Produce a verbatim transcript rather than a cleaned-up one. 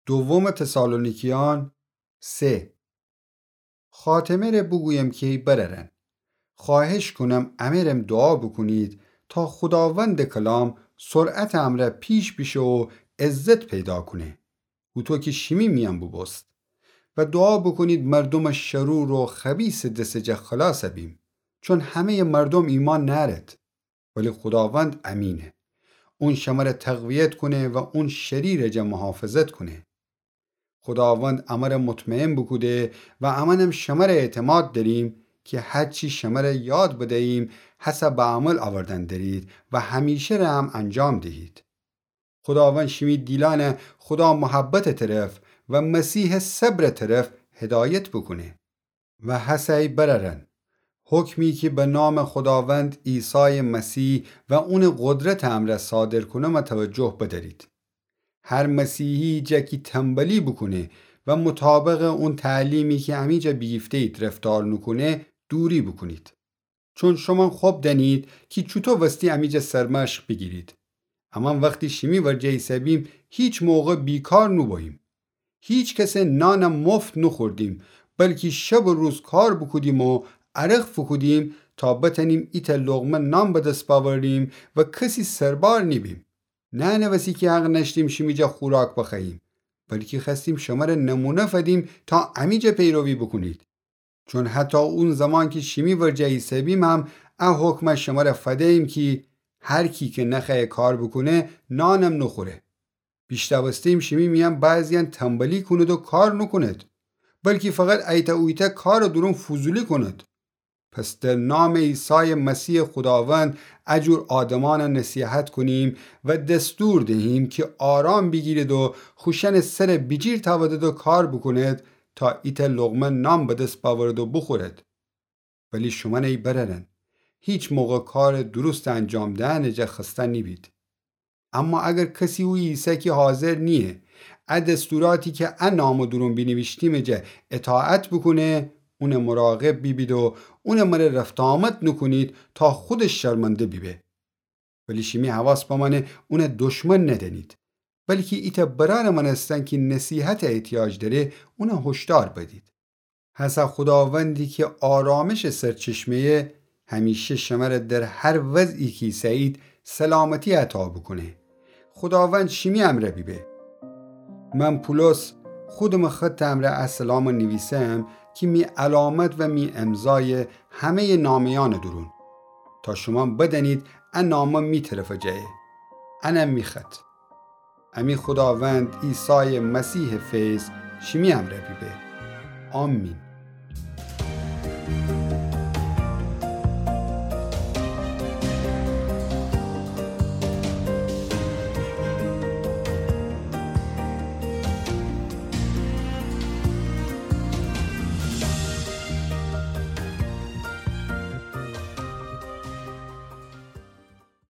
دوم تسالونیکیان سه. خاتمه‌ره بوگویم کی ای برأرأن، خوأهش کونم امه‌رم دوعا بوکونید تا خوداوندٚ کلام سرعتٚ امرأ پیش بیشه و عزت پیدا کونه، هوطو کی شیمی میأن بوبوست. و دوعا بوکونید مردومٚ شرور و خبیثٚ دسٚ جا خلاص بیم، چون همه‌یٚ مردوم ایمأن نأرد. ولی خوداوند امینه. اون شمره تقویت کونه و اون شریرٚ جا محافظت کونه. خوداوند امره مطمئن بوکوده و امأنم شمره اعتماد دأریم کی هر چی شمره یاد بدییم، هسه به عمل اوردن درید و همیشه ره هم انجام دهید. خوداوند شیمی دیلأنه خودا محبتٚ طرف و مسیحٚ صبرٚ طرف هدایت بوکونه. و هسه ای برأرأن، حکمی کی به نامٚ خوداوند عیسایٚ مسیح و اونٚ قدرتٚ امرأ صادر کونم توجه بدأرید. هر مسیحی جا کی تنبلی بوکونه و مطابقٚ اون تعلیمی کی امیجا بیگیفته‌یید رفتار نوکونه، دوری بوکونید. چون شومأن خب دأنید کی چوطو وستی امیجا سرمشق بیگیرید. امأن وختی شیمی ورجه ایسه‌بیم، هیچ موقع بیکار نوبوییم. هیچ کسٚ نانم مفت نوخوردیم، بلکی شب و روز کار بوکودیم و عرق فوکودیم تا بتأنیم ایتأ لقمه نان به دس بأوریم و کسی سربار نیبیم. نه انه وسی کی حق نأشتیم شیمی جا خوراک بخوأییم، بلکی خوأستیم شمره نمونه فدیم تا امیجا پیروی بوکونید. چون حتی اون زمان کی شیمی ورجه ایسه‌بیم هم ا حکمه شمره فده‌ییم کی هر کی کی نخوأیه کار بوکونه، نانم نوخوره. بیشنوسته‌ییم شیمی میأن بعضی‌یأن تنبلی کونید و کار نوکونید، بلکی فقط ایتأ اویتأ کارٚ دورون فضولی کونید. پس در نامٚ عیسایٚ مسیحٚ خوداوند ا جور آدمأنه نصیحت کونیم و دستور دهیم کی آرام بیگیرید و خوشأنٚ سره بیجیر تأودید و کار بوکونید تا ایتأ لقمه نان به دس بأورید و بوخورید. ولی شومأن ای برأرأن، هیچ موقع کارٚ درستٚ انجام دئنٚ جا خسته نیبید. اما اگر کسی اویه ایسه کی حاضر نییه ا دستوراتی کی ا نامٚ دورون بینیویشتیمٚ جا اطاعت بوکونه، اونٚ مراقب بیبید و اونٚ مره رفت‌وآمد نوکونید تا خودش شرمنده بیبه. ولی شیمی حواس بمأنه اونٚ دشمن ندأنید، بلکی ایتأ برأرٚ مأنستن کی نصیحتٚ احتیاج دأره، اونه هشدار بدید. هسه خوداوندی کی آرامشٚ سرچشمه‌یه، همیشه شمره در هر وضعی کی ایسه‌یید سلامتی عطا بوکونه. خوداوند شیمی امرأ بیبه. من پولس خودمٚ خطٚ امرأ ا سلامٚ نیویسم کی می علامت و می امضایه همه‌یٚ نامه‌یأنٚ دورون، تا شومأن بدأنید ا نامه می طرفٚ جایه، انم می خط. امی خوداوند عیسایٚ مسیحٚ فیض شیمی امرأ بیبه. آمین.